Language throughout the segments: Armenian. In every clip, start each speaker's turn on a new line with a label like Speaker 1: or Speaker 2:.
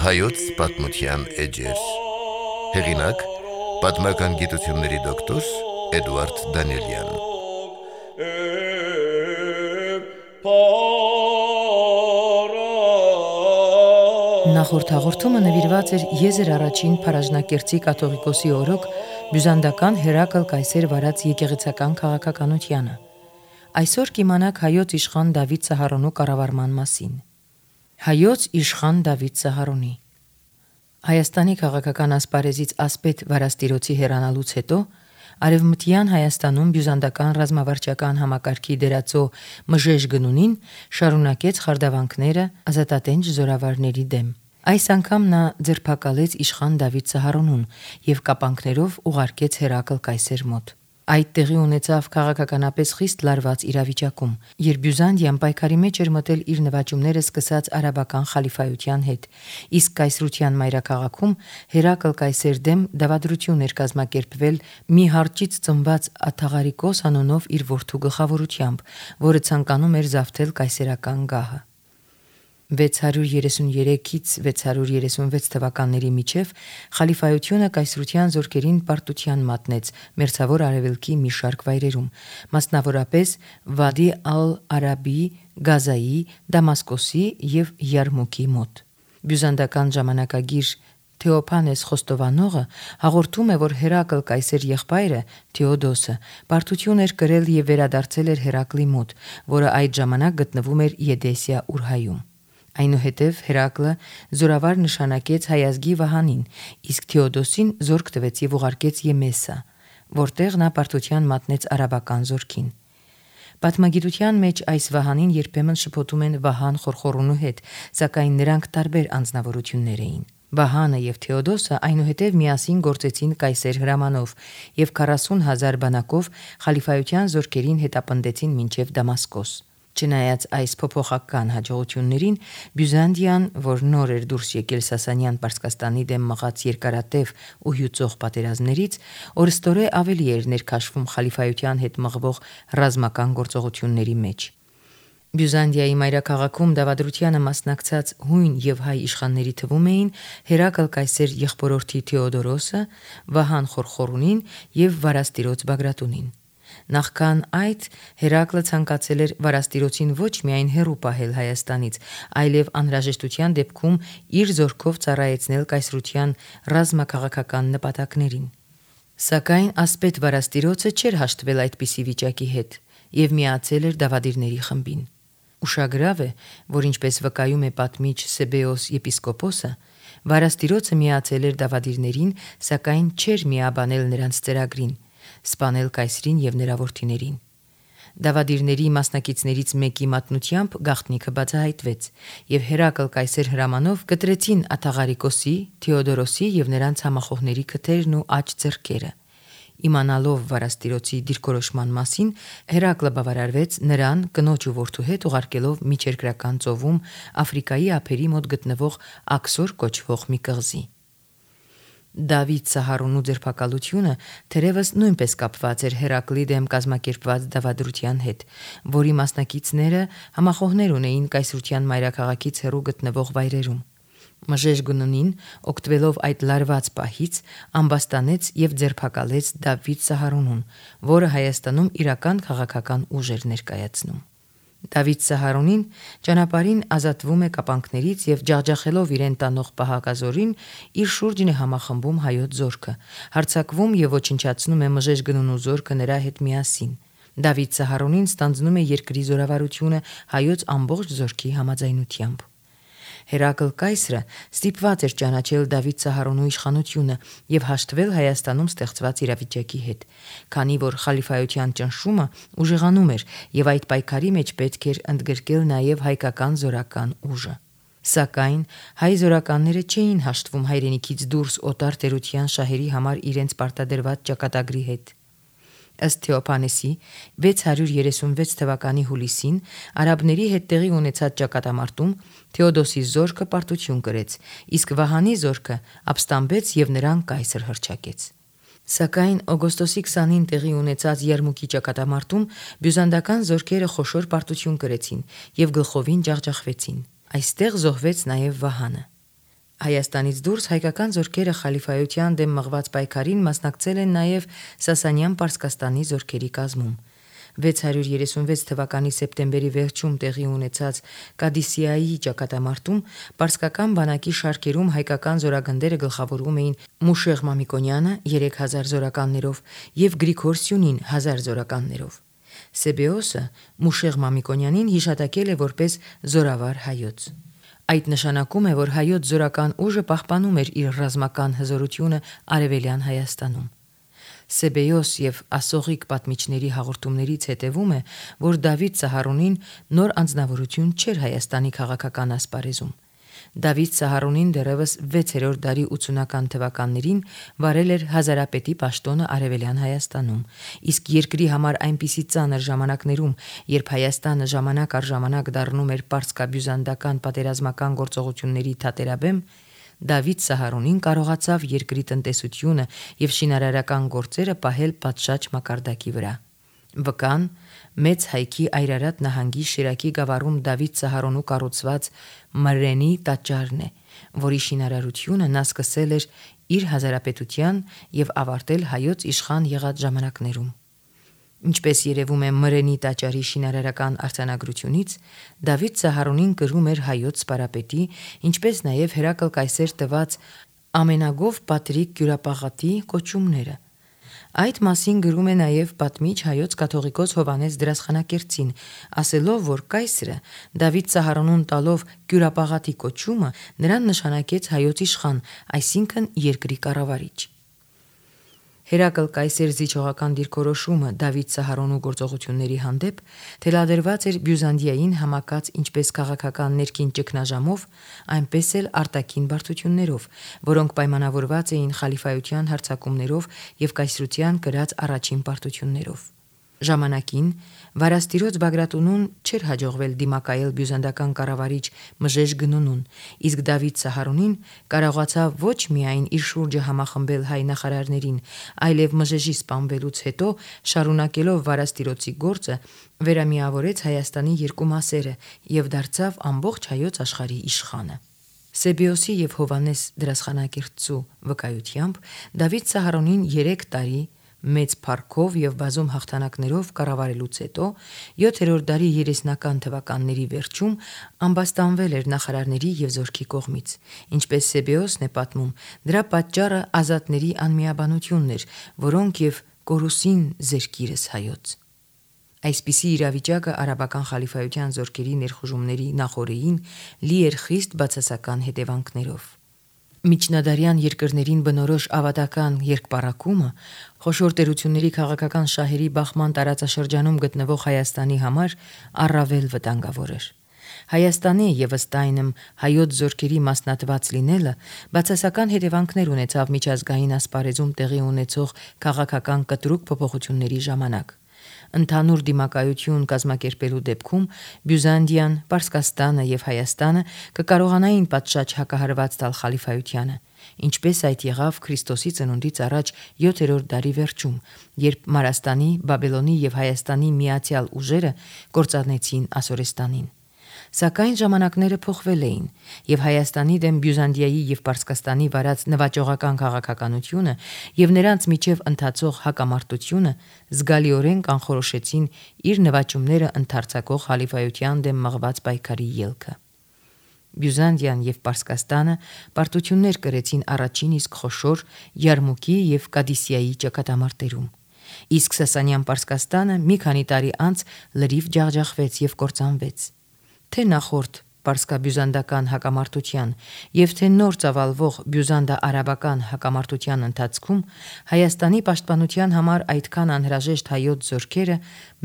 Speaker 1: Հայոց պատմության էջեր։ Հեղինակ՝ պատմական գիտությունների դոկտոր Էդուարդ Դանիելյան։
Speaker 2: Նախորդ հաղորդումը նվիրված էր Եզր առաջին Փարաժնակերտցի կաթողիկոսի օրոք բյուզանդական Հերակլ Կայսեր վարած եկեղեցական քաղաքականությանը։ Այսօր կիմանաք հայոց իշխան Դավիթ Սահարոնու կառավարման մասին։ Հայոց իշխան Դավիթ Սահարոնի Հայաստանի քաղաքական ասպարեզից ասպետ Վարաստիրոցի հեռանալուց հետո Արևմտյան Հայաստանում բյուզանդական ռազմավարչական համակարգի դերածո Մժեժ Գնունին շարունակեց խարդավանքները ազատատենչ զորավարների դեմ։ Այս անգամ նա ձերբակալեց իշխան Դավիթ Սահարոնուն եւ կապանքներով ուղարկեց Հերակլ Կայսեր մոտ։ Այդ տեղի ունեցավ քաղաքականապես խիստ լարված իրավիճակում, երբ Բյուզանդիան պայքարի մեջ էր մտել իր նվաճումները սկսած արաբական խալիֆայության հետ, իսկ կայսրության մայրաքաղաքում Հերակլ Կայսեր դեմ դավադրություն էր կազմակերպվել մի հարճից ծնված Աթաղարիկոս անունով իր որդու գլխավորությամբ, որը ցանկանում էր զավթել կայսերական գահը։ 633-ից 636 թվականների միջև խալիֆայությունը կայսրության զորքերին պարտության մատնեց մերձավոր արևելքի մի շարք վայրերում, մասնավորապես Վադի ալ-Արաբի, Գազայի, Դամասկոսի եւ Յարմուկի մոտ։ Բյուզանդական ժամանակագիր Թեոփանես Խոստովանողը հաղորդում է, որ Հերակլ Կայսեր եղբայրը Թեոդոսը պարտություն էր կրել եւ վերադարձել էր Հերակլի մոտ, որը այդ ժամանակ գտնվում էր Եդեսիա Ուրհայում։ Այնուհետև Հերակլը զորավար նշանակեց հայազգի Վահանին, իսկ Թեոդոսին զորք տվեց եւ ուղարկեց Եմեսա, որտեղ նա պարտության մատնեց արաբական զորքին։ Պատմագիտության մեջ այս Վահանին երբեմն շփոթում են Վահան Խորխորունու հետ, սակայն նրանք տարբեր անձնավորություններ էին։ Վահանը եւ Թեոդոսը այնուհետև միասին գործեցին կայսեր հրամանով եւ 40,000 բանակով խալիֆայության զորքերին հետապնդեցին մինչև Դամասկոս։ Չնայած այս փոփոխական հաջողություններին, Բյուզանդիան, որ նոր էր դուրս եկել Սասանյան Պարսկաստանի դեմ մղած երկարատև ու հյուծող պատերազմներից, օրստորե ավելի էր ներքաշվում խալիֆայության հետ մղվող ռազմական գործողությունների մեջ։ Բյուզանդիայի մայրաքաղաքում դավադրությանը մասնակցած հույն եւ հայ իշխանների թվում էին Հերակլ Կայսեր եղբորորդի Թեոդորոսը, Վահան Խորխորունին եւ Վարաստիրոց Բագրատունին։ Նախքան այդ Հերակլը ցանկացել էր Վարաստիրոցին ոչ միայն հեռու պահել Հայաստանից, այլև անհրաժեշտության դեպքում իր զորքով ծառայեցնել կայսրության ռազմաքաղաքական նպատակներին։ Սակայն ասպետ Վարաստիրոցը չէր հաշտվել այդպիսի վիճակի հետ եւ միացել էր դավադիրների խմբին։ Ուշագրավ է, որ ինչպես վկայում է պատմիչ Սեբեոս եպիսկոպոսը, Վարաստիրոցը միացել էր դավադիրներին, սակայն չէր միաբանել նրանց ծրագրին, սպանել կայսրին եւ նրա որդիներին։ Դավադիրների մասնակիցներից մեկի մատնությամբ գաղտնիքը բացահայտվեց եւ Հերակլ Կայսեր հրամանով կտրեցին Աթաղարիկոսի, Թեոդորոսի եւ նրանց համախոհների քթերն ու աջ ձեռքերը։ Իմանալով Վարաստիրոցի դիրքորոշման մասին, Հերակլը բավարարվեց նրան կնոջ ու որդու հետ ուղարկելով միջերկրական ծովում Աֆրիկայի ափերի մոտ գտնվող Աքսոր կոչվող մի կղզի։ Դավիթ Սահարոնու ձերբակալությունը թերևս նույնպես կապված էր Հերակլի դեմ կազմակերպված դավադրության հետ, որի մասնակիցները համախոհներ ունեին կայսրության մայրաքաղաքից հեռու գտնվող վայրերում։ Մժեժ Գնունին, օգտվելով այդ լարված պահից, ամբաստանեց եւ ձերբակալեց Դավիթ Սահարոնուն, որը Հայաստանում իրական քաղաքական ուժ էր ներկայացնում։ Դավիթ Սահարոնին ճանապարհին ազատվում է կապանքներից եւ ջախջախելով իրեն տանող պահակազորին, իր շուրջն է համախմբում հայոց զորքը, հարձակվում եւ ոչնչացնում է Մժեժ Գնունու զորքը նրա հետ միասին։ Դավիթ Սահարոնին ստանձնում է երկրի զորավարությունը հայոց ամբողջ զորքի համաձայնությամբ։ Հերակլ Կայսրը ստիպված էր ճանաչել Դավիթ Սահարոնու իշխանությունը եւ հաշտվել Հայաստանում ստեղծված իրավիճակի հետ, քանի որ խալիֆայության ճնշումը ուժեղանում էր եւ այդ պայքարի մեջ պետք էր ընդգրկել նաեւ հայկական զորական ուժը։ Սակայն հայ զորականները չէին հաշտվում հայրենիքից դուրս օտար տերության շահերի համար իրենց պարտադրված ճակատագրի հետ։ Ըստ Թեոփանեսի 636 թվականի հուլիսին արաբների հետ տեղի ունեցած ճակատամարտում Թեոդոսի զորքը պարտություն կրեց, իսկ Վահանի զորքը ապստամբեց եւ նրան կայսր հռչակեց։ Սակայն օգոստոսի 20-ին տեղի ունեցած Եռմուկի ճակատամարտում բյուզանդական զորքերը խոշոր պարտություն կրեցին եւ գլխովին ջախջախվեցին։ Այստեղ զոհվեց նաեւ Վահանը։ Հայաստանից դուրս հայկական զորքերը խալիֆայության դեմ մղված պայքարին մասնակցել են նաեւ Սասանյան Պարսկաստանի զորքերի կազմում։ 636 թվականի սեպտեմբերի վերջում տեղի ունեցած Կադիսիայի ճակատամարտում պարսկական բանակի շարքերում հայկական զորագնդերը գլխավորում էին Մուշեղ Մամիկոնյանը 3000 զորականներով եւ Գրիգոր Սյունին 1000 զորականներով։ Սեբեոսը Մուշեղ Մամիկոնյանին հիշատակել է որպես զորավար հայոց։ Այդ նշանակում է, որ հայոց զորական ուժը պահպանում էր իր ռազմական հզորությունը Արևելյան Հայաստանում։ Սեբեոս եւ Ասողիկ պատմիչների հաղորդումներից հետևում է, որ Դավիթ Սահարոնին նոր անձնավորություն չէր Հայաստանի քաղաքական ասպարեզում։ Դավիթ Սահարոնին դեռևս 6-րդ դարի 80-ական թվականներին վարել էր հազարապետի պաշտոնը Արևելյան Հայաստանում, իսկ երկրի համար այնպիսի ծանր ժամանակներում, երբ Հայաստանը ժամանակ առ ժամանակ դառնում էր պարսկաբյուզանդական պատերազմական գործողությունների թատերաբեմ, Դավիթ Սահարոնին կարողացավ երկրի տնտեսությունը եւ շինարարական գործերը պահել պատշաճ մակարդակի վրա։ Վկան Մեծ Հայքի Այրարատ նահանգի Շիրակի գավառում Դավիթ Սահարոնու կառուցված Մրրենի տաճարն է, որի շինարարությունը նա սկսել էր իր հազարապետության եւ ավարտել հայոց իշխան եղած ժամանակներում։ Ինչպես երևում է Մրրենի տաճարի շինարարական արձանագրությունից, Դավիթ Սահարոնին կրում էր հայոց սպարապետի, ինչպես նաև Հերակլ կայսեր տված ամենագով Պատրիկ Կյուրապաղատի կոչումները։ Այդ մասին գրում է նաև պատմիչ հայոց կաթողիկոս Հովանես Դրասխանակերտցին, ասելով, որ կայսրը Դավիթ Սահարոնուն տալով Կյուրապաղատի կոչումը նրան նշանակեց հայոց իշխան, այսինքն երկրի կառավարիչ։ Հերակլ կայսեր զիջողական դիրքորոշումը Դավիթ Սահարոնու գործողությունների հանդեպ թելադրված էր Բյուզանդիային համակած ինչպես քաղաքական ներքին ճգնաժամով, այնպես էլ արտաքին բարդություններով, որոնք պայմանավորված էին խալիֆայության հարձակումներով եւ կայսրության կրած առաջին պարտություններով։ Ժամանակին Վարաստիրոց Բագրատունուն չէր հաջողվել դիմակայել բյուզանդական կառավարիչ Մժեժ Գնունուն, իսկ Դավիթ Սահարոնին կարողացավ ոչ միայն իր շուրջը համախմբել հայ նախարարներին, այլև Մժեժի սպանվելուց հետո, շարունակելով Վարաստիրոցի գործը, վերամիավորեց Հայաստանի երկու մասերը եւ դարձավ ամբողջ հայոց աշխարհի իշխանը։ Սեբեոսի եւ Հովանես Դրասխանակերտցու վկայությամբ Դավիթ Սահարոնին 3 տարի մեծ փառքով եւ բազում հաղթանակներով կառավարելուց հետո 7-րդ դարի 30-ական թվականների վերջում ամբաստանվել էր նախարարների եւ զորքի կողմից։ Ինչպես Սեբեոսն է պատմում, դրա պատճառը ազատների անմիաբանությունն էր, որոնք եւ կորուսին զերքիրս հայոց։ Այսպիսի իրավիճակը արաբական խալիֆայության զորքերի ներխուժումների նախօրեին լի էր խիստ բացասական հետևանքներով։ Միջնադարյան երկրներին բնորոշ ավատական երկպառակումը խոշոր տերությունների քաղաքական շահերի բախման տարածաշրջանում գտնվող Հայաստանի համար առավել վտանգավոր էր։ Հայաստանի եւ ըստ այնմ հայոց զորքերի մասնատված լինելը բացասական հետևանքներ ունեցավ միջազգային ասպարեզում տեղի ունեցող քաղաքական կտրուկ փոփոխությունների ժամանակ։ Ընդհանուր դիմակայություն կազմակերպելու դեպքում Բյուզանդիան, Պարսկաստանը եւ Հայաստանը կկարողանային պատշաճ հակահարված տալ խալիֆայությանը, ինչպես այդ եղավ Քրիստոսի ծնունդից առաջ 7-րդ դարի վերջում, երբ Մարաստանի, Բաբելոնի եւ Հայաստանի միացյալ ուժերը կործանեցին Ասորեստանին։ Սակայն ժամանակները փոխվել էին, եւ Հայաստանի դեմ Բյուզանդիայի եւ Պարսկաստանի վարած նվաճողական քաղաքականությունը եւ նրանց միջև ընթացող հակամարտությունը զգալիորեն կանխորոշեցին իր նվաճումները ընդարձակող խալիֆայության դեմ մղված պայքարի ելքը։ Բյուզանդիան եւ Պարսկաստանը պարտություններ կրեցին առաջին իսկ խոշոր Եռմուկի եւ Կադիսիայի ճակատամարտերում։ Իսկ Սասանյան Պարսկաստանը մի քանի տարի անց լրիվ ջախջախվեց եւ կործանվեց։ Թե նախորդ պարսկաբյուզանդական հակամարտության եւ թե նոր ծավալվող բյուզանդա-արաբական հակամարտության ընթացքում Հայաստանի պաշտպանության համար այդքան անհրաժեշտ հայոց զորքերը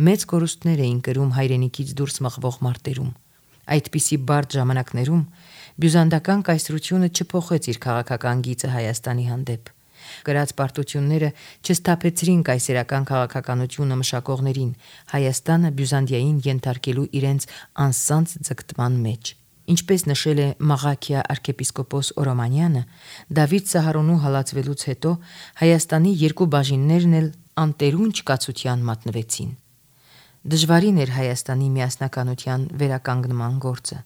Speaker 2: մեծ կորուստներ էին կրում հայրենիքից դուրս մղվող մարտերում։ Այդպիսի բարդ ժամանակներում բյուզանդական կայսրությունը չփոխեց իր քաղաքական գիծը Հայաստանի հանդեպ։ Գրած պարտությունները չստափեցրին կայսերական քաղաքականությունը մշակողներին, Հայաստանը Բյուզանդիային ենթարկելու իրենց անսանձ ձգտման մեջ։ Ինչպես նշել է Մաղաքիա arczepiskopos Օրոմանյանը, Դավիթ Սահարոնու հալածվելուց հետո Հայաստանի երկու բաժիններն էլ անտերուն չկացության մատնվեցին։ Դժվարին էր Հայաստանի միասնականության վերականգնման գործը։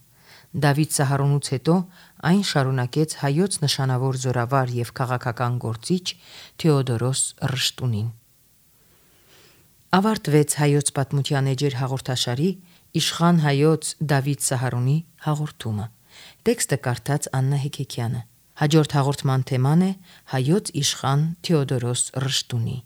Speaker 2: Դավիթ Սահարոնուց հետո այն շարունակեց հայոց նշանավոր զորավար եւ քաղաքական գործիչ Թեոդորոս Ռշտունին։ Ավարտվեց հայոց պատմության էջեր հաղորդաշարի Իշխան հայոց Դավիթ Սահարոնի հաղորդումը։ Տեքստը կարդաց Աննա Հեքեքյանը։ Հաջորդ հաղորդման թեման է հայոց իշխան Թեոդորոս Ռշտունի։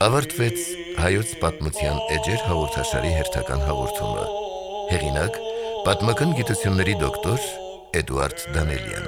Speaker 1: Ավարտվեց հայոց պատմության էջեր հաղորդաշարի հերթական հաղորդումը։ Հեղինակ՝ պատմական գիտությունների դոկտոր Էդուարդ Դանելյան։